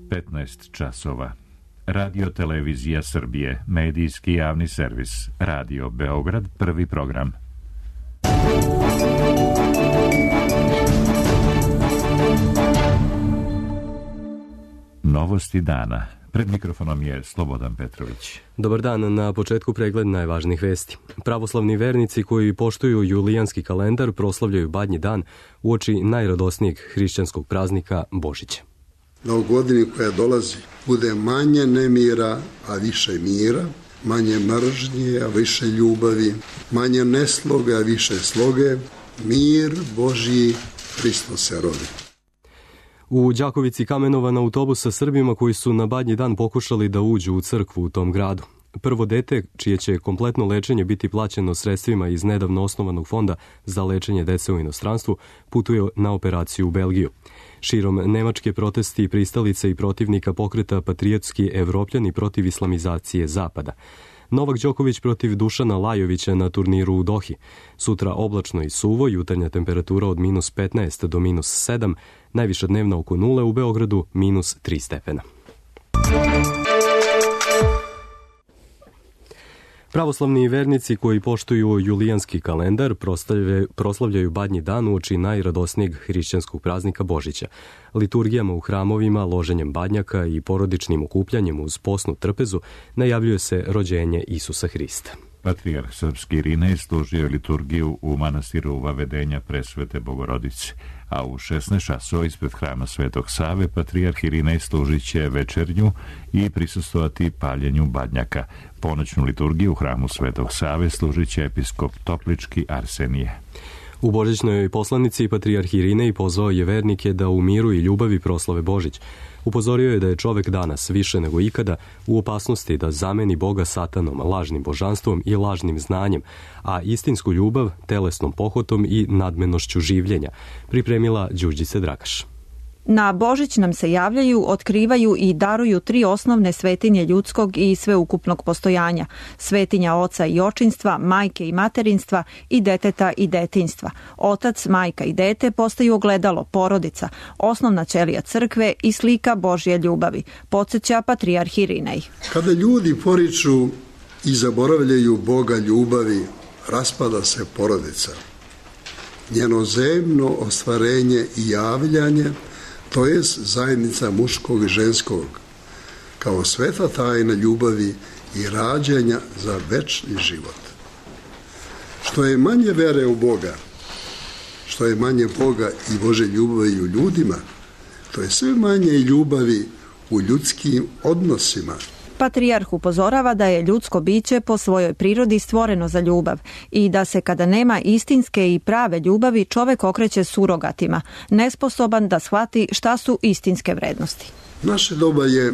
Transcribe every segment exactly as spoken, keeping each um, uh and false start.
petnaest časova. Radio Televizija Srbije, medijski javni servis, Radio Beograd, prvi program. Novosti dana. Pred mikrofonom je Slobodan Petrović. Dobar dan, na početku pregled najvažnijih vesti. Pravoslavni vernici koji poštuju julijanski kalendar proslavljaju Badnji dan uoči najradosnijeg hrišćanskog praznika Božića. Da u godini koja dolazi bude manje nemira, a više mira, manje mržnje, a više ljubavi, manje nesloge, a više sloge, mir Božji, Hristos se rodi. U Đakovici kamenovan autobus sa Srbima koji su na Badnji dan pokušali da uđu u crkvu u tom gradu. Prvo dete, čije će kompletno lečenje biti plaćeno sredstvima iz nedavno osnovanog fonda za lečenje dece u inostranstvu, putuje na operaciju u Belgiju. Širom Nemačke protesti pristalica i protivnika pokreta Patriotski Evropljani protiv islamizacije Zapada. Novak Đoković protiv Dušana Lajovića na turniru u Dohi. Sutra oblačno i suvo, jutarnja temperatura od minus petnaest do minus sedam, najviša dnevna oko nule, u Beogradu minus tri stepena. Pravoslavni vernici koji poštuju julijanski kalendar proslavljaju Badnji dan uoči najradosnijeg hrišćanskog praznika Božića. Liturgijama u hramovima, loženjem badnjaka i porodičnim okupljanjem uz posnu trpezu najavljuje se rođenje Isusa Hrista. Patrijarh srpski Irinej služio liturgiju u manastiru Vavedenja Presvete Bogorodice, a u šesnaest časova ispred hrama Svetog Save patrijarh Irinej služit će večernju i prisustvovati paljenju badnjaka. Ponoćnu liturgiju u hramu Svetog Save služit će episkop Toplički Arsenije. U božićnoj poslanici patrijarh Irinej pozvao je vernike da u miru i ljubavi proslave Božić. Upozorio je da je čovek danas više nego ikada u opasnosti da zameni Boga satanom, lažnim božanstvom i lažnim znanjem, a istinsku ljubav telesnom pohotom i nadmenošću življenja, pripremila Đurđica Dragaš. Na Božić nam se javljaju, otkrivaju i daruju tri osnovne svetinje ljudskog i sveukupnog postojanja. Svetinja oca i očinstva, majke i materinstva i deteta i detinjstva. Otac, majka i dete postaju ogledalo, porodica, osnovna ćelija crkve i slika Božje ljubavi, podsjeća patrijarh Irinej. Kada ljudi poriču i zaboravljaju Boga ljubavi, raspada se porodica. Njeno zemno ostvarenje i javljanje, to je zajednica muškog i ženskog, kao sveta tajna ljubavi i rađanja za večni život. Što je manje vere u Boga, što je manje Boga i Bože ljubavi u ljudima, to je sve manje ljubavi u ljudskim odnosima. Patrijarh upozorava da je ljudsko biće po svojoj prirodi stvoreno za ljubav i da se kada nema istinske i prave ljubavi čovek okreće surogatima, nesposoban da shvati šta su istinske vrednosti. Naše doba je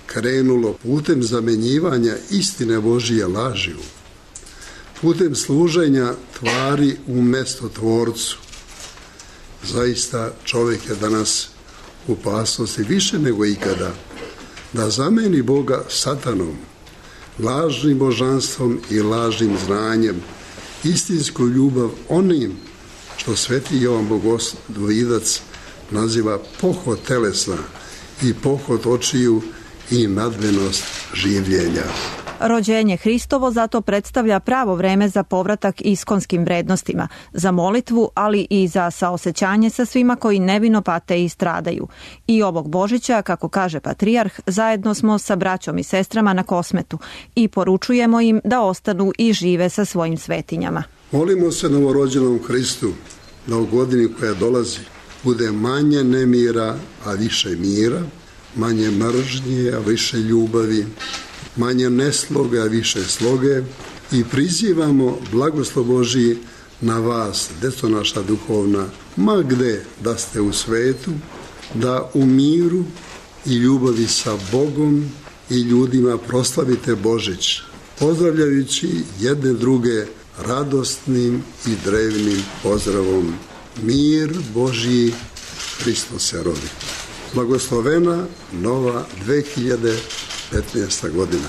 krenulo putem zamenjivanja istine Božije lažiju, putem služenja tvari umesto tvorcu. Zaista čovjek je danas u opasnosti više nego ikada da zameni Boga satanom, lažnim božanstvom i lažnim znanjem, istinsku ljubav onim što sveti Jovan Bogoslvidac naziva pohod telesna i pohod očiju i nadmenost življenja. Rođenje Hristovo zato predstavlja pravo vreme za povratak iskonskim vrednostima, za molitvu, ali i za saosećanje sa svima koji nevino pate i stradaju. I ovog Božića, kako kaže patrijarh, zajedno smo sa braćom i sestrama na Kosmetu i poručujemo im da ostanu i žive sa svojim svetinjama. Molimo se novorođenom Hristu da u godini koja dolazi bude manje nemira, a više mira, manje mržnje, a više ljubavi, manje nesloge, a više sloge, i prizivamo blagoslov Božiji na vas, deco naša duhovna, ma gde da ste u svetu, da u miru i ljubavi sa Bogom i ljudima proslavite Božić, pozdravljajući jedne druge radosnim i drevnim pozdravom. Mir Božji, Hristos se rodi. Blagoslovena nova dve hiljade petnaesta godina.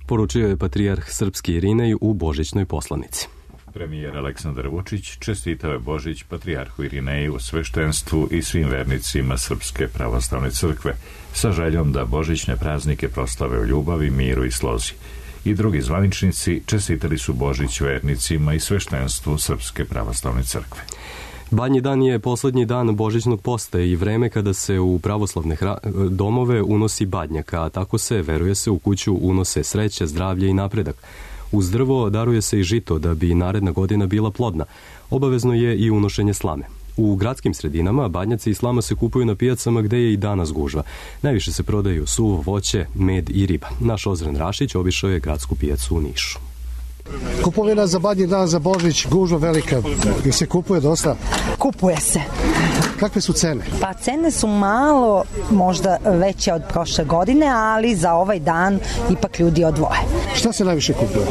Poručio je patrijarh srpski Irinej u božićnoj poslanici. Premijer Aleksandar Vučić čestitao je Božić patrijarhu Irineju, sveštenstvu i svim vernicima Srpske pravoslavne crkve, sa željom da božićne praznike proslave u ljubavi, miru i slozi. I drugi zvaničnici čestitali su Božić vernicima i sveštenstvu Srpske pravoslavne crkve. Badnji dan je posljednji dan božićnog posta i vreme kada se u pravoslavne domove unosi badnjak, a tako se, veruje se, u kuću unose sreća, zdravlje i napredak. Uz drvo daruje se i žito da bi naredna godina bila plodna. Obavezno je i unošenje slame. U gradskim sredinama badnjaci i slama se kupuju na pijacama gde je i danas gužva. Najviše se prodaju suvo voće, med i riba. Naš Ozren Rašić obišao je gradsku pijacu u Nišu. Kupovina za badnji dan, za Božić, gužva velika. Jer se kupuje dosta? Kupuje se. Kakve su cene? Pa cene su malo možda veće od prošle godine, ali za ovaj dan ipak ljudi odvoje. Šta se najviše kupuje?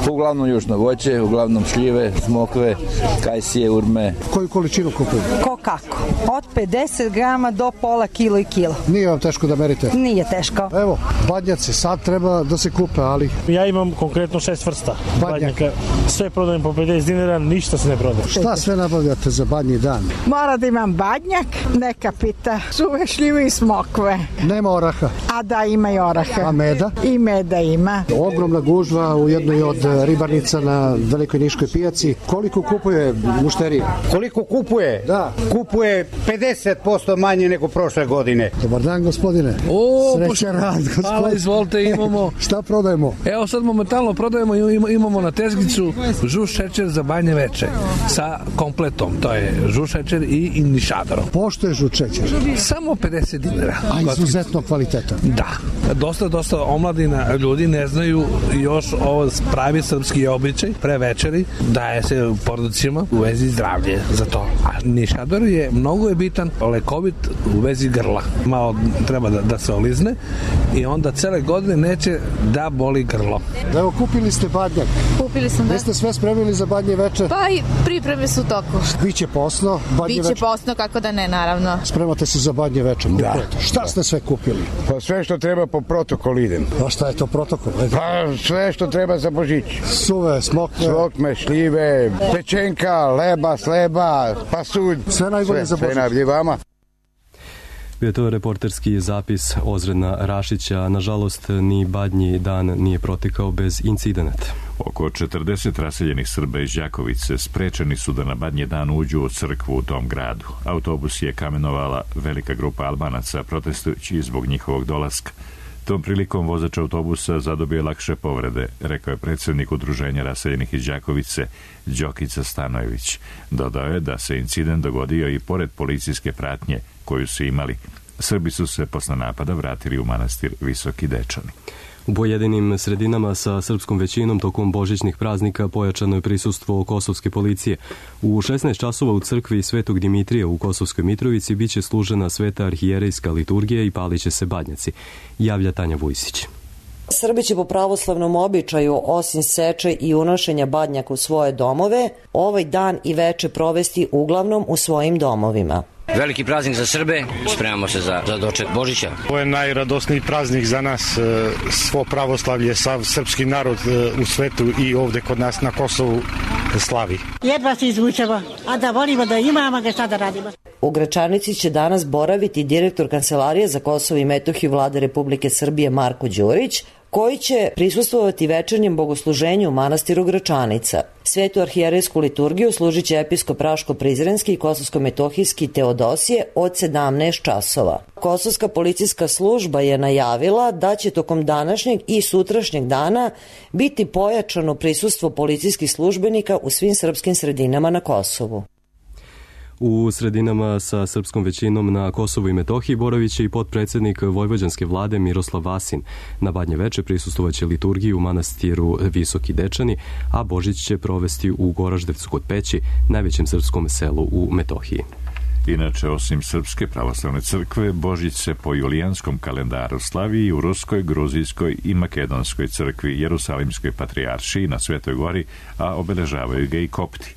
Uglavnom južno voće, uglavnom šljive, smokve, kajsije, urme. Koju količinu kupuju? Ko kako? Od pedeset grama do pola kilo i kilo. Nije vam teško da merite? Nije teško. Evo, badnjaci sad treba da se kupe, ali... Ja imam konkretno šest vrsta badnjaka. Sve prodajem po pedeset dinara, ništa se ne prodaje. Šta sve nabavljate za badnji dan? Mora da imam badnjak, neka pita, suve šljive i smokve. Nema oraha? A da, ima i oraha. A meda? I meda ima. Ogromna gužva u jednoj od ribarnica na Velikoj Niškoj pijaci. Koliko kupuje mušterija? Koliko kupuje? Da. Kupuje pedeset posto manje nego prošle godine. Dobar dan, gospodine. O, srećan rad, gospodine. Hvala, izvolite, imamo. Šta prodajemo? Evo sad momentalno prodajemo, imamo na tezgicu žuš šećer za banje veče sa kompletom. To je žuš šećer i inišador. Pošto je žuč šećer? Samo pedeset dinara. A izuzetno kvaliteta. Da. Dosta, dosta omladina ljudi ne znaju još ovo pravi srpski običaj pre večeri, daje se porodicima u vezi zdravlje za to. A nišador je mnogo je bitan, lekovit u vezi grla. Malo treba da, da se olizne i onda cele godine neće da boli grlo. Evo, kupili ste badnjak. Kupili sam, da. Vi ste sve spremili za badnje veče? Pa i pripreme su u toku. Biće posno, badnje Biće veče? posno, kako da ne, naravno. Spremate se za badnje veče? Da. Šta ste sve kupili? Pa sve što treba po protokolu idem. A šta je to protokol? Pa sve što treba za Božić. Suve, smokve. Smokve, šljive, pečenka, leba, sleba, pasulj. Sve najbolje za Božić. Sve najbolje vama. Bio je to reporterski zapis Ozrena Rašića. Nažalost, ni badnji dan nije protekao bez incidenata. Oko četrdeset raseljenih Srba iz Đakovice sprečeni su da na badnji dan uđu u crkvu u tom gradu. Autobus je kamenovala velika grupa Albanaca protestujući zbog njihovog dolaska. Tom prilikom vozač autobusa zadobio lakše povrede, rekao je predsjednik udruženja raseljenih iz Đakovice, Đokica Stanojević. Dodao je da se incident dogodio i pored policijske pratnje koju su imali. Srbi su se posle napada vratili u manastir Visoki Dečani. U pojedinim sredinama sa srpskom većinom tokom božićnih praznika pojačano je prisustvo kosovske policije. U šesnaest časova u crkvi Svetog Dimitrija u Kosovskoj Mitrovici biće služena sveta arhijerejska liturgija i paliće se badnjaci, javlja Tanja Vujsić. Srbi će po pravoslavnom običaju, osim seče i unošenja badnjaka u svoje domove, ovaj dan i veče provesti uglavnom u svojim domovima. Veliki praznik za Srbe, spremamo se za, za doček Božića. Ovo je najradosniji praznik za nas, svo pravoslavlje, sav srpski narod u svetu i ovde kod nas na Kosovu slavi. Jedva se izvučemo, a da volimo da imamo ga šta da radimo. U Gračanici će danas boraviti direktor Kancelarije za Kosovo i Metohiju Vlade Republike Srbije Marko Đurić, koji će prisustvovati večernjem bogosluženju u manastiru Gračanica. Svetu arhijerejsku liturgiju služit će episkop Raško-Prizrenski i Kosovsko-Metohijski Teodosije od sedamnaest časova. Kosovska policijska služba je najavila da će tokom današnjeg i sutrašnjeg dana biti pojačano prisustvo policijskih službenika u svim srpskim sredinama na Kosovu. U sredinama sa srpskom većinom na Kosovu i Metohiji boravit će i potpredsjednik vojvođanske vlade Miroslav Vasin. Na badnje veče prisustovaće liturgiji u manastiru Visoki Dečani, a Božić će provesti u Goraždevcu kod Peći, najvećem srpskom selu u Metohiji. Inače, osim Srpske pravoslavne crkve, Božić se po julijanskom kalendaru slavi i u Ruskoj, Gruzijskoj i Makedonskoj crkvi, Jerusalimskoj patrijaršiji na Svetoj Gori, a obeležavaju ga i kopti.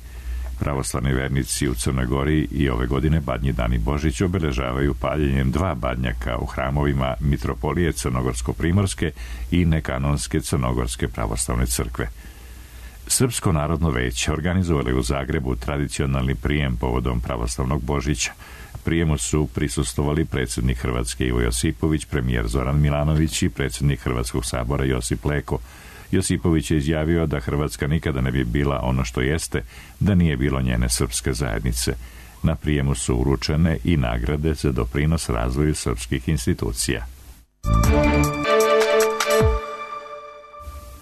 Pravoslavni vernici u Crnoj Gori i ove godine badnji dan i Božić obeležavaju paljenjem dva badnjaka u hramovima Mitropolije Crnogorsko-Primorske i nekanonske Crnogorske pravoslavne crkve. Srpsko narodno veće organizovali u Zagrebu tradicionalni prijem povodom pravoslavnog Božića. Prijemu su prisustvovali predsjednik Hrvatske Ivo Josipović, premijer Zoran Milanović i predsjednik Hrvatskog sabora Josip Leko. Josipović je izjavio da Hrvatska nikada ne bi bila ono što jeste da nije bilo njene srpske zajednice. Na prijemu su uručene i nagrade za doprinos razvoju srpskih institucija.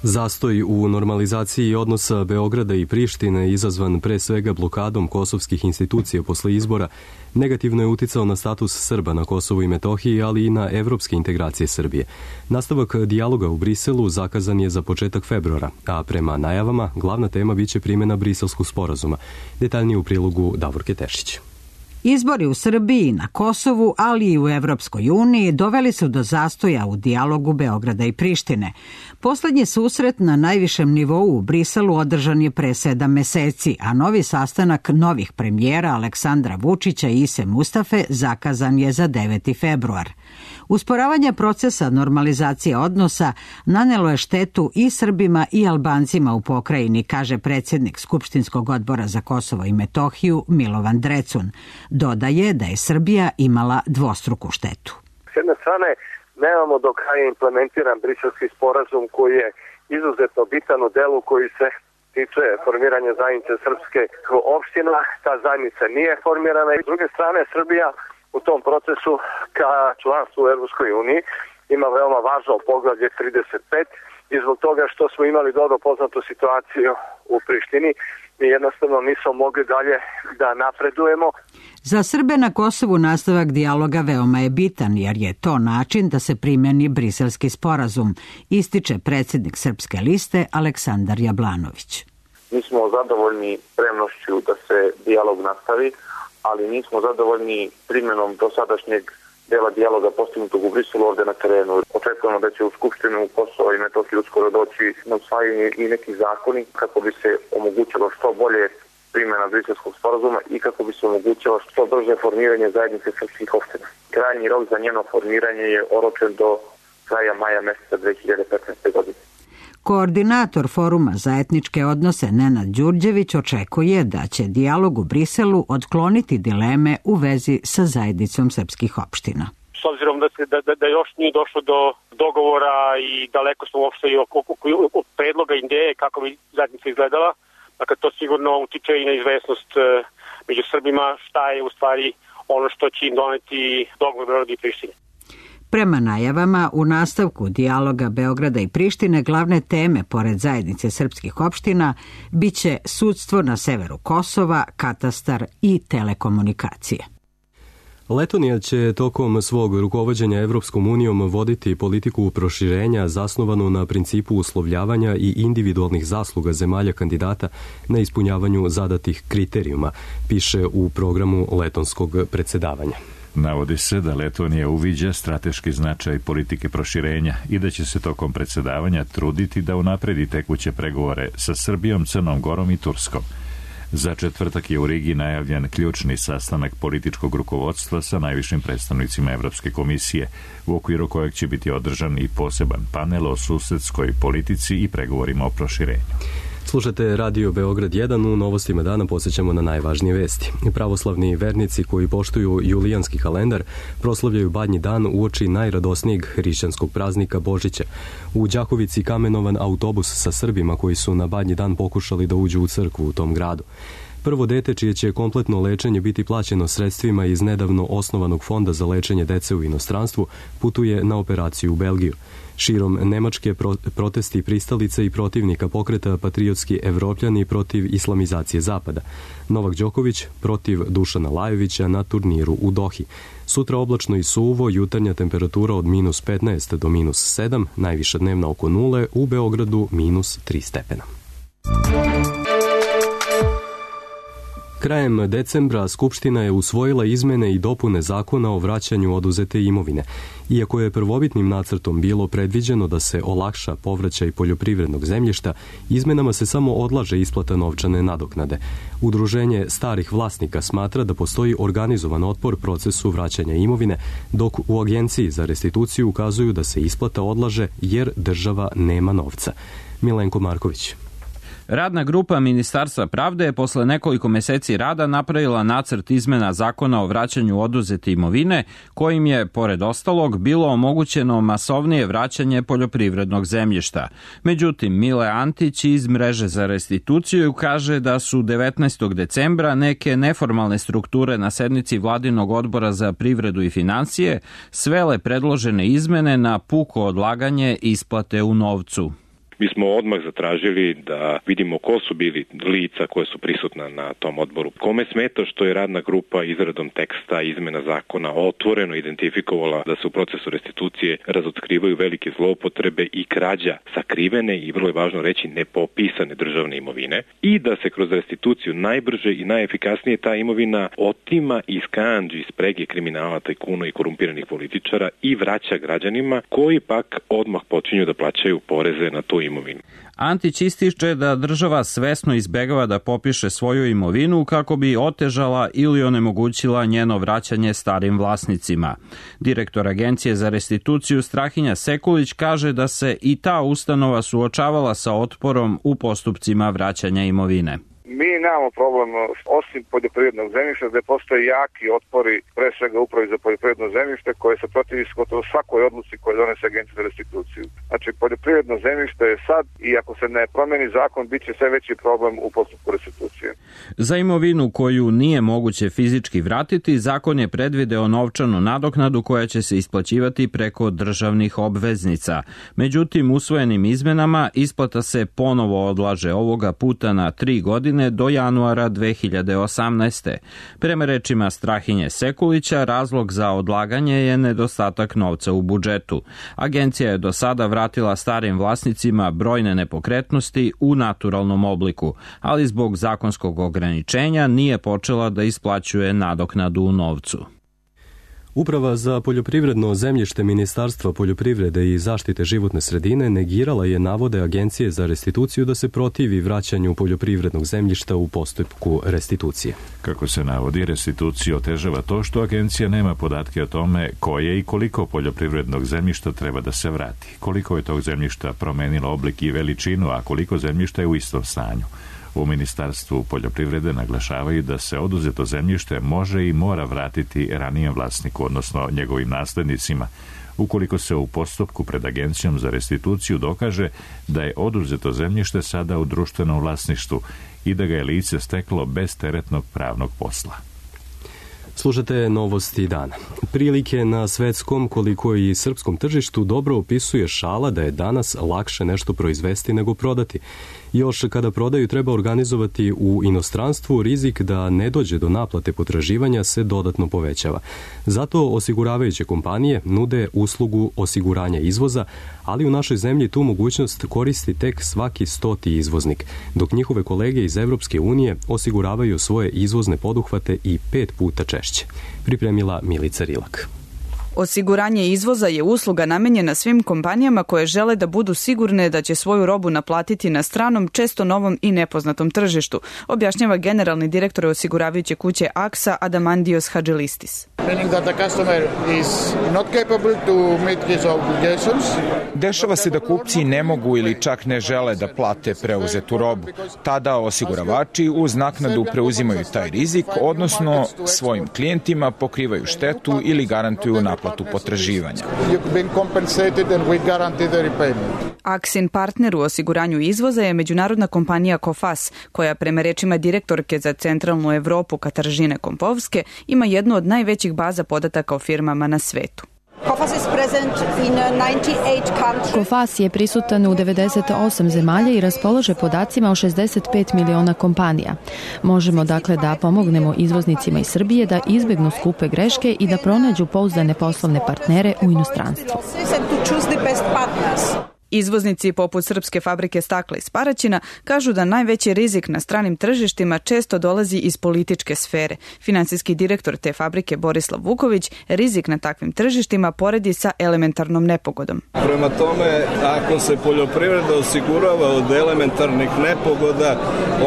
Zastoj u normalizaciji odnosa Beograda i Prištine, izazvan pre svega blokadom kosovskih institucija posle izbora, negativno je uticao na status Srba na Kosovu i Metohiji, ali i na evropske integracije Srbije. Nastavak dijaloga u Briselu zakazan je za početak februara, a prema najavama glavna tema biće primjena Briselskog sporazuma. Detaljnije u prilogu Davorke Tešić. Izbori u Srbiji, na Kosovu, ali i u Evropskoj uniji doveli su do zastoja u dijalogu Beograda i Prištine. Poslednji susret na najvišem nivou u Briselu održan je pre sedam meseci, a novi sastanak novih premijera Aleksandra Vučića i Ise Mustafe zakazan je za deveti februar. Usporavanje procesa normalizacije odnosa nanelo je štetu i Srbima i Albancima u pokrajini, kaže predsjednik Skupštinskog odbora za Kosovo i Metohiju Milovan Drecun. Dodaje da je Srbija imala dvostruku štetu. S jedne strane, nemamo do kraja implementiran Briselski sporazum koji je izuzetno bitan u delu koji se tiče formiranja zajednice srpske opština. Ta zajednica nije formirana i s druge strane Srbija u tom procesu ka članstvu u Evropskoj uniji ima veoma važno poglavlje trideset pet i zbog toga što smo imali dobro poznatu situaciju u Prištini, mi jednostavno nismo mogli dalje da napredujemo. Za Srbe na Kosovu nastavak dijaloga veoma je bitan, jer je to način da se primjeni Briselski sporazum, ističe predsjednik Srpske liste Aleksandar Jablanović. Mi smo zadovoljni spremnošću da se dijalog nastavi, ali nismo zadovoljni primjenom dosadašnjeg dela dijaloga postignutog u Briselu ovdje na terenu. Očekujemo da će u Skupštinu Kosova i Metohije uskoro doći na usvajanje i neki zakoni kako bi se omogućilo što bolje primjena Briselskog sporazuma i kako bi se omogućilo što brže formiranje zajednice srpskih opština. Krajnji rok za njeno formiranje je oročen do kraja maja meseca dve hiljade petnaeste. godine. Koordinator Foruma za etničke odnose Nenad Đurđević očekuje da će dijalog u Briselu otkloniti dileme u vezi sa zajednicom srpskih opština. S obzirom da, se, da, da, da još nije došlo do dogovora i daleko smo uopšte i oko, oko, oko predloga ideje kako bi zajednica izgledala, dakle to sigurno utiče i na izvesnost među Srbima šta je u stvari ono što će im doneti dogovor Beograda i Prištine. Prema najavama, u nastavku dijaloga Beograda i Prištine glavne teme, pored zajednice srpskih opština, biće sudstvo na severu Kosova, katastar i telekomunikacije. Letonija će tokom svog rukovođenja Evropskom unijom voditi politiku proširenja zasnovanu na principu uslovljavanja i individualnih zasluga zemalja kandidata na ispunjavanju zadatih kriterijuma, piše u programu letonskog predsjedavanja. Navodi se da Letonija uviđa strateški značaj politike proširenja i da će se tokom predsjedavanja truditi da unapredi tekuće pregovore sa Srbijom, Crnom Gorom i Turskom. Za četvrtak je u Rigi najavljen ključni sastanak političkog rukovodstva sa najvišim predstavnicima Evropske komisije, u okviru kojeg će biti održan i poseban panel o susedskoj politici i pregovorima o proširenju. Slušate Radio Beograd jedan, u novostima dana podsjećamo na najvažnije vesti. Pravoslavni vernici koji poštuju julijanski kalendar proslavljaju Badnji dan uoči najradosnijeg hrišćanskog praznika Božića. U Đakovici kamenovan autobus sa Srbima koji su na Badnji dan pokušali da uđu u crkvu u tom gradu. Prvo dete, čije će kompletno lečenje biti plaćeno sredstvima iz nedavno osnovanog fonda za lečenje dece u inostranstvu, putuje na operaciju u Belgiju. Širom Nemačke protesti pristalica i protivnika pokreta Patriotski Evropljani protiv islamizacije Zapada. Novak Đoković protiv Dušana Lajovića na turniru u Dohi. Sutra oblačno i suvo, jutarnja temperatura od minus petnaest do minus sedam, najviša dnevna oko nule, u Beogradu minus tri stepena. Krajem decembra Skupština je usvojila izmene i dopune zakona o vraćanju oduzete imovine. Iako je prvobitnim nacrtom bilo predviđeno da se olakša povraćaj poljoprivrednog zemljišta, izmenama se samo odlaže isplata novčane nadoknade. Udruženje starih vlasnika smatra da postoji organizovan otpor procesu vraćanja imovine, dok u Agenciji za restituciju ukazuju da se isplata odlaže jer država nema novca. Milenko Marković. Radna grupa Ministarstva pravde je posle nekoliko meseci rada napravila nacrt izmena zakona o vraćanju oduzete imovine, kojim je, pored ostalog, bilo omogućeno masovnije vraćanje poljoprivrednog zemljišta. Međutim, Mile Antić iz Mreže za restituciju kaže da su devetnaestog decembra neke neformalne strukture na sednici Vladinog odbora za privredu i financije svele predložene izmene na puko odlaganje isplate u novcu. Mi smo odmah zatražili da vidimo ko su bili lica koje su prisutna na tom odboru. Kome smeta što je radna grupa izradom teksta izmena zakona otvoreno identifikovala da se u procesu restitucije razotkrivaju velike zloupotrebe i krađa sakrivene i, vrlo je važno reći, nepopisane državne imovine i da se kroz restituciju najbrže i najefikasnije ta imovina otima iz kandži, iz sprege kriminala, tajkuna i korumpiranih političara i vraća građanima koji pak odmah počinju da plaćaju poreze na tu imovinu. Antić ističe da država svesno izbegava da popiše svoju imovinu kako bi otežala ili onemogućila njeno vraćanje starim vlasnicima. Direktor Agencije za restituciju Strahinja Sekulić kaže da se i ta ustanova suočavala sa otporom u postupcima vraćanja imovine. Mi nemamo problem, osim poljoprivrednog zemljišta, gde postoje jaki otpori, pre svega upravi za poljoprivredno zemljište, koje se protivi gotovo svakoj odluci koju donese Agencija za restituciju. Znači, poljoprivredno zemljište je sad i ako se ne promeni zakon, bit će sve veći problem u postupku restitucije. Za imovinu koju nije moguće fizički vratiti, zakon je predvideo novčanu nadoknadu koja će se isplaćivati preko državnih obveznica. Međutim, usvojenim izmenama isplata se ponovo odlaže, ovoga puta na tri godine do januara dve hiljade osamnaeste. Prema rečima Strahinje Sekulića, razlog za odlaganje je nedostatak novca u budžetu. Agencija je do sada vratila starim vlasnicima brojne nepokretnosti u naturalnom obliku, ali zbog zakonskog ograničenja nije počela da isplaćuje nadoknadu u novcu. Uprava za poljoprivredno zemljište Ministarstva poljoprivrede i zaštite životne sredine negirala je navode Agencije za restituciju da se protivi vraćanju poljoprivrednog zemljišta u postupku restitucije. Kako se navodi, restituciju otežava to što agencija nema podatke o tome koje i koliko poljoprivrednog zemljišta treba da se vrati, koliko je tog zemljišta promenilo oblik i veličinu, a koliko zemljišta je u istom stanju. U Ministarstvu poljoprivrede naglašavaju da se oduzeto zemljište može i mora vratiti ranijem vlasniku, odnosno njegovim naslednicima, ukoliko se u postupku pred Agencijom za restituciju dokaže da je oduzeto zemljište sada u društvenom vlasništvu i da ga je lice steklo bez teretnog pravnog posla. Slušate novosti dana. Prilike na svetskom, koliko i srpskom tržištu dobro opisuje šala da je danas lakše nešto proizvesti nego prodati. Još kada prodaju treba organizovati u inostranstvu, rizik da ne dođe do naplate potraživanja se dodatno povećava. Zato osiguravajuće kompanije nude uslugu osiguranja izvoza, ali u našoj zemlji tu mogućnost koristi tek svaki stoti izvoznik, dok njihove kolege iz Evropske unije osiguravaju svoje izvozne poduhvate i pet puta češće. Pripremila Milica Rilak. Osiguranje izvoza je usluga namenjena svim kompanijama koje žele da budu sigurne da će svoju robu naplatiti na stranom, često novom i nepoznatom tržištu, objašnjava generalni direktor osiguravajuće kuće Aksa Adamandios Hadželistis. Dešava se da kupci ne mogu ili čak ne žele da plate preuzetu robu. Tada osiguravači uz naknadu preuzimaju taj rizik, odnosno svojim klijentima pokrivaju štetu ili garantuju naplatu potraživanja. Aksin partner u osiguranju izvoza je međunarodna kompanija Kofas, koja prema rečima direktorke za centralnu Evropu Kataržine Kompovske ima jednu od najvećih baza podataka o firmama na svetu. Kofas je prisutan u devedeset osam zemalja i raspolaže podacima o šezdeset pet miliona kompanija. Možemo dakle da pomognemo izvoznicima iz Srbije da izbegnu skupe greške i da pronađu pouzdane poslovne partnere u inostranstvu. Izvoznici poput srpske fabrike stakla iz Paraćina kažu da najveći rizik na stranim tržištima često dolazi iz političke sfere. Finansijski direktor te fabrike Borislav Vuković rizik na takvim tržištima poredi sa elementarnom nepogodom. Prema tome, ako se poljoprivreda osigurava od elementarnih nepogoda,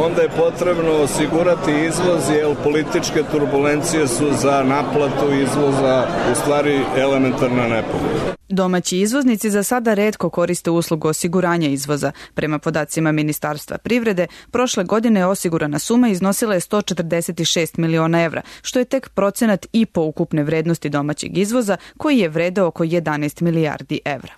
onda je potrebno osigurati izvoz, jer političke turbulencije su za naplatu izvoza u stvari elementarna nepogoda. Domaći izvoznici za sada retko koriste uslugu osiguranja izvoza. Prema podacima Ministarstva privrede, prošle godine osigurana suma iznosila je sto četrdeset šest miliona evra, što je tek procenat i po ukupne vrednosti domaćeg izvoza, koji je vredeo oko jedanaest milijardi evra.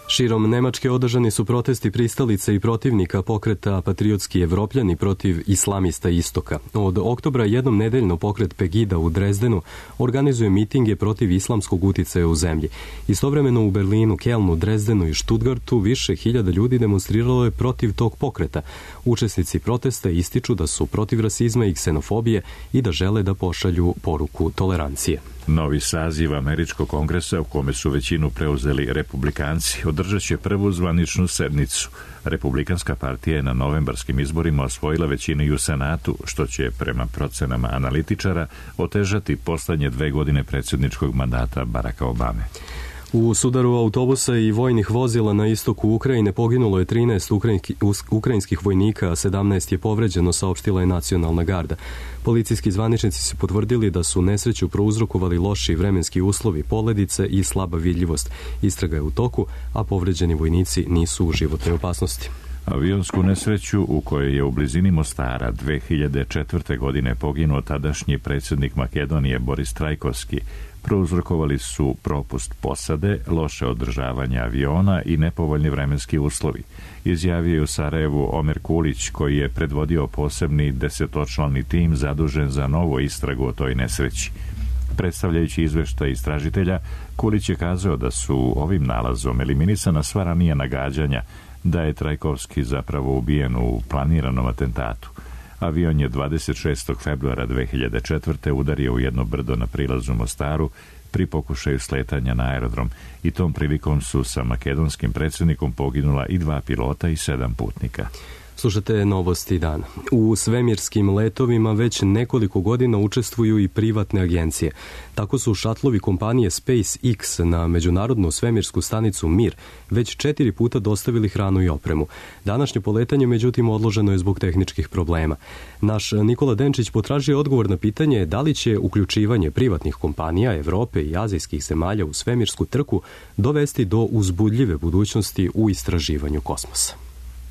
Širom Nemačke održani su protesti pristalica i protivnika pokreta Patriotski Evropljani protiv islamista istoka. Od oktobra jednom nedeljno pokret Pegida u Drezdenu organizuje mitinge protiv islamskog uticaja u zemlji. Istovremeno u Berlinu, Kelnu, Drezdenu i Stuttgartu više hiljada ljudi demonstriralo je protiv tog pokreta. Učesnici protesta ističu da su protiv rasizma i ksenofobije i da žele da pošalju poruku tolerancije. Novi saziv Američkog kongresa, u kome su većinu preuzeli republikanci, održat će prvu zvaničnu sednicu. Republikanska partija je na novembarskim izborima osvojila većinu i u Senatu, što će, prema procenama analitičara, otežati poslednje dve godine predsjedničkog mandata Baracka Obame. U sudaru autobusa i vojnih vozila na istoku Ukrajine poginulo je trinaest ukrajinskih vojnika, a sedamnaest je povređeno, saopštila je Nacionalna garda. Policijski zvaničnici su potvrdili da su nesreću prouzrokovali loši vremenski uslovi, poledice i slaba vidljivost. Istraga je u toku, a povređeni vojnici nisu u životnoj opasnosti. Avionsku nesreću u kojoj je u blizini Mostara dve hiljade četvrte. godine poginuo tadašnji predsjednik Makedonije Boris Trajkovski prouzrokovali su propust posade, loše održavanje aviona i nepovoljni vremenski uslovi. Izjavio je u Sarajevu Omer Kulić, koji je predvodio posebni desetočlani tim zadužen za novu istragu o toj nesreći. Predstavljajući izveštaj istražitelja, Kulić je kazao da su ovim nalazom eliminisana sva ranija nagađanja da je Trajkovski zapravo ubijen u planiranom atentatu. Avion je dvadeset šestog februara dve hiljade četvrte. udario u jedno brdo na prilazu Mostaru pri pokušaju sletanja na aerodrom i tom prilikom su sa makedonskim predsjednikom poginula i dva pilota i sedam putnika. Slušate novosti dana. U svemirskim letovima već nekoliko godina učestvuju i privatne agencije. Tako su šatlovi kompanije SpaceX na međunarodnu svemirsku stanicu Mir već četiri puta dostavili hranu i opremu. Današnje poletanje, međutim, odloženo je zbog tehničkih problema. Naš Nikola Denčić potražio odgovor na pitanje da li će uključivanje privatnih kompanija Evrope i azijskih zemalja u svemirsku trku dovesti do uzbudljive budućnosti u istraživanju kosmosa.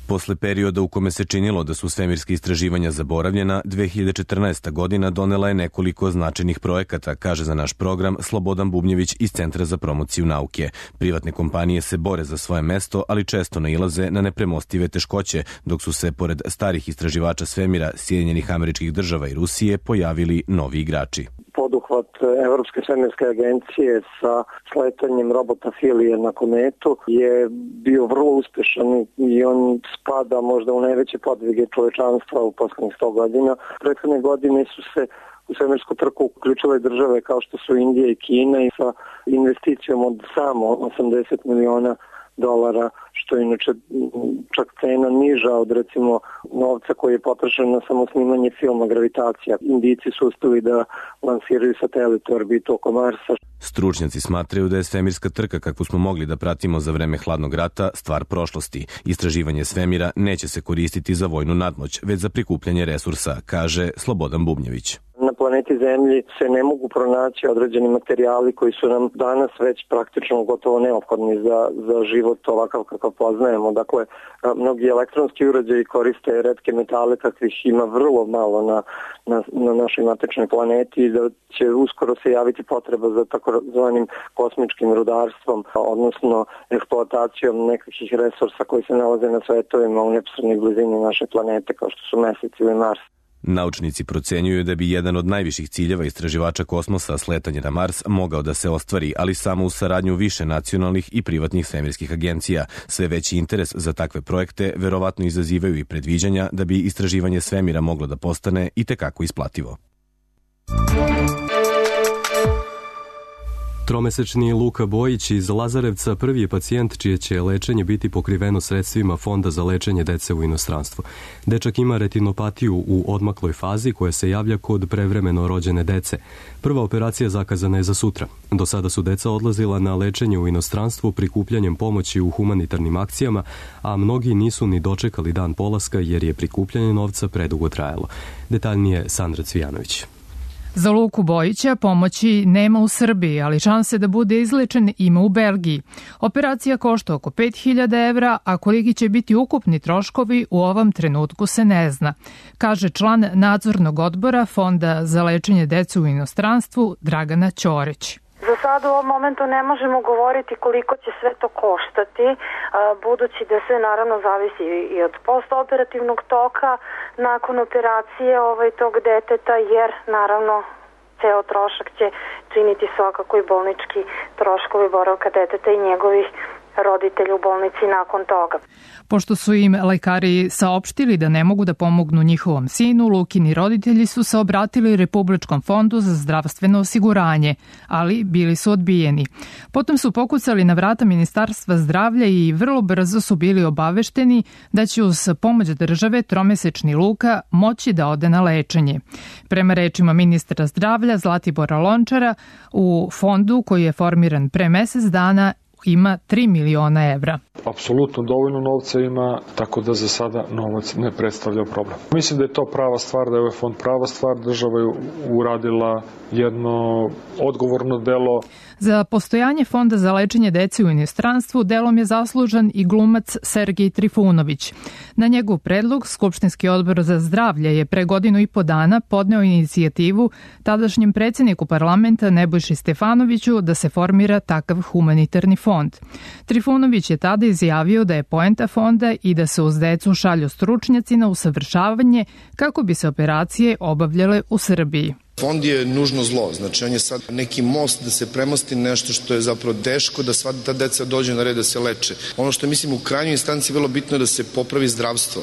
Posle perioda u kome se činilo da su svemirske istraživanja zaboravljena, dve hiljade četrnaesta. godina donela je nekoliko značajnih projekata, kaže za naš program Slobodan Bubnjević iz Centra za promociju nauke. Privatne kompanije se bore za svoje mesto, ali često nailaze na nepremostive teškoće, dok su se, pored starih istraživača svemira Sjedinjenih Američkih Država i Rusije, pojavili novi igrači. Poduhvat Evropske svemirske agencije sa sletanjem robota Filije na kometu je bio vrlo uspešan i on spada možda u najveće podvige čovečanstva u poslednjih sto godina. Prethodne godine su se u svemirsku trku uključile države kao što su Indija i Kina i sa investicijom od samo osamdeset miliona dolara, što je inače čak cena niža od recimo novca koji je potrošen na samo snimanje filma Gravitacija. Indijci su uspeli da lansiraju satelit u orbitu oko Marsa. Stručnjaci smatraju da je svemirska trka kakvu smo mogli da pratimo za vreme hladnog rata stvar prošlosti. Istraživanje svemira neće se koristiti za vojnu nadmoć, već za prikupljanje resursa, kaže Slobodan Bubnjević. Na planeti Zemlji se ne mogu pronaći određeni materijali koji su nam danas već praktično gotovo neophodni za, za život ovakav kakav poznajemo. Dakle, mnogi elektronski uređaji koriste retke metale, kakvih ima vrlo malo na, na, na našoj matičnoj planeti i da će uskoro se javiti potreba za takozvanim kosmičkim rudarstvom, odnosno eksploatacijom nekakvih resursa koji se nalaze na svetovima u neposrednoj blizini naše planete, kao što su Mesec ili Mars. Naučnici procenjuju da bi jedan od najviših ciljeva istraživača kosmosa, sletanje na Mars, mogao da se ostvari, ali samo u saradnju više nacionalnih i privatnih svemirskih agencija. Sve veći interes za takve projekte verovatno izazivaju i predviđanja da bi istraživanje svemira moglo da postane i tekako isplativo. Tromesečni Luka Bojić iz Lazarevca prvi je pacijent čije će lečenje biti pokriveno sredstvima Fonda za lečenje dece u inostranstvu. Dečak ima retinopatiju u odmakloj fazi koja se javlja kod prevremeno rođene dece. Prva operacija zakazana je za sutra. Do sada su deca odlazila na lečenje u inostranstvu prikupljanjem pomoći u humanitarnim akcijama, a mnogi nisu ni dočekali dan polaska jer je prikupljanje novca predugo trajalo. Detaljnije Sandra Cvijanović. Za Luku Bojića pomoći nema u Srbiji, ali šanse da bude izlečen ima u Belgiji. Operacija košta oko pet hiljada evra, a koliki će biti ukupni troškovi u ovom trenutku se ne zna, kaže član nadzornog odbora Fonda za lečenje dece u inostranstvu Dragana Ćorić. Za sad u ovom momentu ne možemo govoriti koliko će sve to koštati, budući da sve naravno zavisi i od postoperativnog toka nakon operacije ovaj, tog deteta, jer naravno ceo trošak će činiti svakako i bolnički troškovi boravka deteta i njegovih roditelja u bolnici nakon toga. Pošto su im lekari saopštili da ne mogu da pomognu njihovom sinu, Lukini roditelji su se obratili Republičkom fondu za zdravstveno osiguranje, ali bili su odbijeni. Potom su pokucali na vrata Ministarstva zdravlja i vrlo brzo su bili obavešteni da će uz pomoć države tromesečni Luka moći da ode na lečenje. Prema rečima ministra zdravlja Zlatibora Lončara, u fondu koji je formiran pre mesec dana ima tri miliona evra. Apsolutno dovoljno novca ima, tako da za sada novac ne predstavlja problem. Mislim da je to prava stvar, da je ovaj fond prava stvar, država je uradila jedno odgovorno delo. Za postojanje Fonda za lečenje dece u inostranstvu delom je zaslužan i glumac Sergej Trifunović. Na njegov predlog Skupštinski odbor za zdravlje je pre godinu i po dana podneo inicijativu tadašnjem predsjedniku parlamenta Nebojši Stefanoviću da se formira takav humanitarni fond. Trifunović je tada izjavio da je poenta fonda i da se uz decu šalju stručnjaci na usavršavanje kako bi se operacije obavljale u Srbiji. Fond je nužno zlo, znači on je sad neki most da se premosti nešto što je zapravo teško, da sva ta deca dođe na red da se leče. Ono što mislim u krajnjoj instanci vrlo bitno je da se popravi zdravstvo.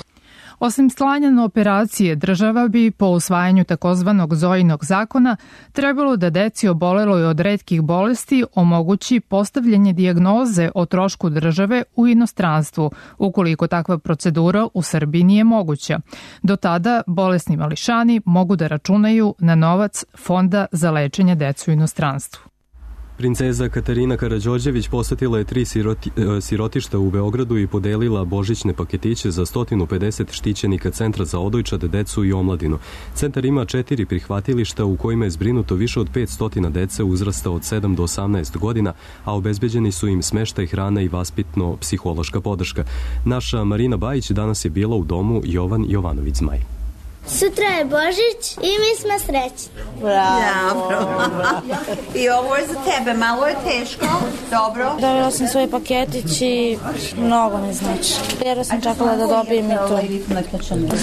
Osim slanja na operacije, država bi po usvajanju takozvanog Zojinog zakona trebalo da deci oboleloj od retkih bolesti omogući postavljanje dijagnoze o trošku države u inostranstvu, ukoliko takva procedura u Srbiji nije moguća. Do tada bolesni mališani mogu da računaju na novac Fonda za lečenje dece u inostranstvu. Princeza Katarina Karađorđević posetila je tri siroti, sirotišta u Beogradu i podelila božićne paketiće za sto pedeset štićenika Centra za odojčad, decu i omladinu. Centar ima četiri prihvatilišta u kojima je zbrinuto više od petsto dece uzrasta od sedam do osamnaest godina, a obezbeđeni su im smeštaj, hrana i vaspitno-psihološka podrška. Naša Marina Bajić danas je bila u domu Jovan Jovanović Zmaj. Sutra je Božić i mi smo srećni. Bravo. Bravo. I ovo je za tebe, malo je teško, dobro. Dobila sam svoj paketić i mnogo mi znači. Jer sam čekala da dobijem i to.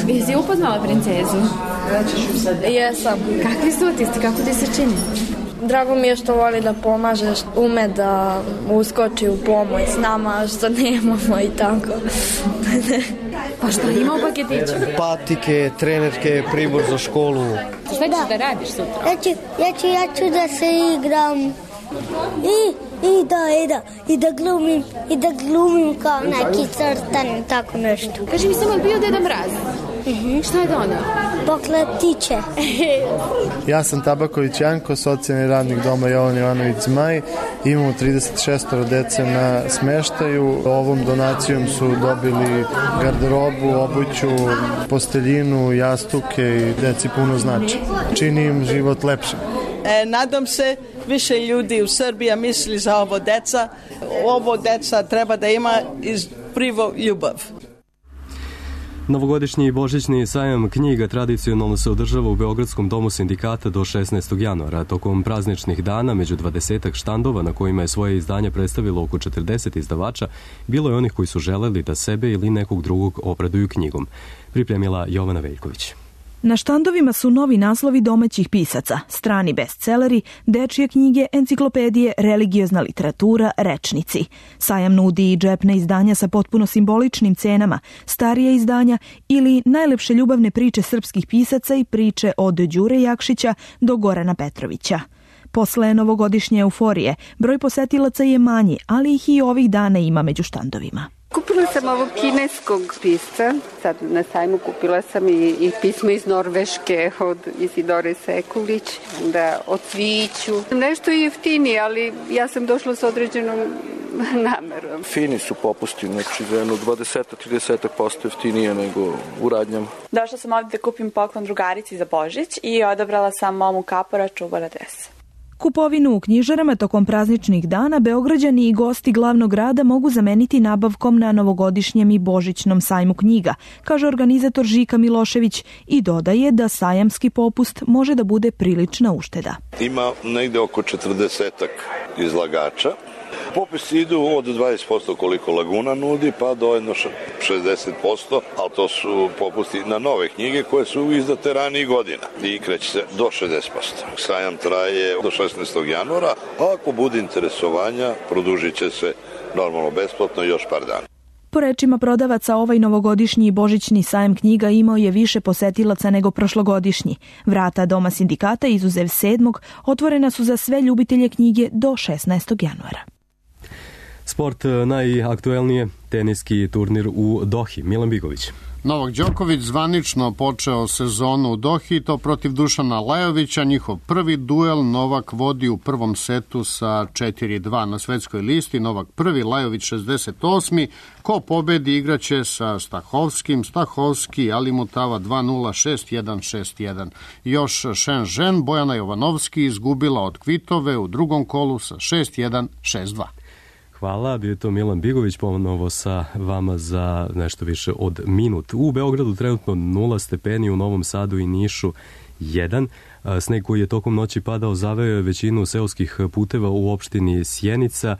Jesi upoznala princezu? Jesam. Kakvi su utisci, kako ti se čini? Drago mi je što voli da pomaže, ume da uskoči u pomoć s nama, što nemamo i tako. Pa šta ima u paketiću? Patike, trenerke, pribor za školu. Šta ćeš da radiš sutra? Ja ću, ja ću, ja ću da se igram i, i da, i da, i da glumim, i da glumim kao neki crtan, tako nešto. Kaži mi samo, je bio Deda Mraz? Mm-hmm. Šta je donao? Pokletiće. Ja sam Tabaković Janko, socijalni radnik doma Jovan Jovanović Zmaj. Imamo trideset šest dece na smeštaju. Ovom donacijom su dobili garderobu, obuću, posteljinu, jastuke i deci puno znači. Čini im život lepšim. E, nadam se više ljudi u Srbiji misli za ovo deca. Ovo deca treba da ima iz prvo ljubav. Novogodišnji i božićni sajam knjiga tradicionalno se održava u Beogradskom domu sindikata do šesnaestog januara. Tokom prazničnih dana, među dvadesetak štandova na kojima je svoje izdanje predstavilo oko četrdeset izdavača, bilo je onih koji su želeli da sebe ili nekog drugog obraduju knjigom. Pripremila Jovana Veljković. Na štandovima su novi naslovi domaćih pisaca, strani bestseleri, dečije knjige, enciklopedije, religiozna literatura, rečnici. Sajam nudi i džepna izdanja sa potpuno simboličnim cenama, starije izdanja ili najlepše ljubavne priče srpskih pisaca i priče od Đure Jakšića do Gorana Petrovića. Posle novogodišnje euforije, broj posetilaca je manji, ali ih i ovih dana ima među štandovima. Kupila sam ovog kineskog pisca, sad na sajmu kupila sam i, i pismo iz Norveške od Isidore Sekulić, da o cviću. Nešto je jeftinije, ali ja sam došla s određenom namerom. Fini su popusti, znači za jedno dvadeset do trideset posto jeftinije nego u radnjama. Došla sam ovdje da kupim poklon drugarici za Božić i odabrala sam momu kapora čuvara dres. Kupovinu u knjižarama tokom prazničnih dana Beograđani i gosti glavnog grada mogu zameniti nabavkom na novogodišnjem i božićnom sajmu knjiga, kaže organizator Žika Milošević i dodaje da sajamski popust može da bude prilična ušteda. Ima negde oko četrdesetak izlagača. Popisi idu od dvadeset posto koliko Laguna nudi, pa do jedno šezdeset posto, ali to su popusti na nove knjige koje su izdate ranijih godina i kreće se do šezdeset posto. Sajam traje do šesnaestog januara, a ako bude interesovanja, produžit će se normalno besplatno još par dana. Po rečima prodavaca, ovaj novogodišnji i božićni sajam knjiga imao je više posetilaca nego prošlogodišnji. Vrata Doma sindikata, izuzev sedmog, otvorena su za sve ljubitelje knjige do šesnaestog januara. Sport najaktuelnije, teniski turnir u Dohi. Milan Bigović. Novak Đoković zvanično počeo sezonu u Dohi, to protiv Dušana Lajovića. Njihov prvi duel Novak vodi u prvom setu sa četiri dva na svetskoj listi. Novak prvi, Lajović šezdeset osmi. Ko pobedi igraće sa Stahovskim. Stahovski Alimutava dva nula, šest jedan, šest jedan. Još Shenzhen, Bojana Jovanovski izgubila od Kvitove u drugom kolu sa šest jedan, šest dva. Hvala, bio je to Milan Bigović, ponovo sa vama za nešto više od minut. U Beogradu trenutno nula stepeni, u Novom Sadu i Nišu jedan. Sneg koji je tokom noći padao zaveo je većinu seoskih puteva u opštini Sjenica,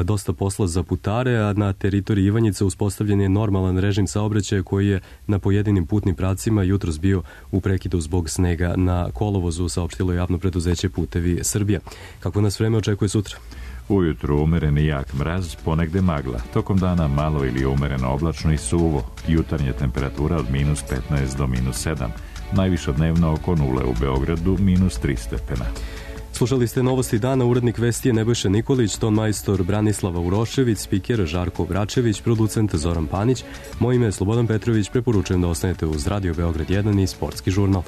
dosta posla za putare, a na teritoriji Ivanjice uspostavljen je normalan režim saobraćaja koji je na pojedinim putnim pravcima jutros bio u prekidu zbog snega na kolovozu, saopštilo javno preduzeće Putevi Srbija. Kako nas vreme očekuje sutra? Ujutru umeren i jak mraz, ponegde magla. Tokom dana malo ili umereno oblačno i suvo. Jutarnja temperatura od minus petnaest do minus sedam. Najviša dnevno oko nule u Beogradu, minus tri stepena. Slušali ste novosti dana, urednik vesti je Nebojša Nikolić, ton majstor Branislava Urošević, spiker Žarko Vračević, producent Zoran Panić. Moje ime je Slobodan Petrović, preporučujem da ostanete uz Radio Beograd jedan i Sportski žurnal.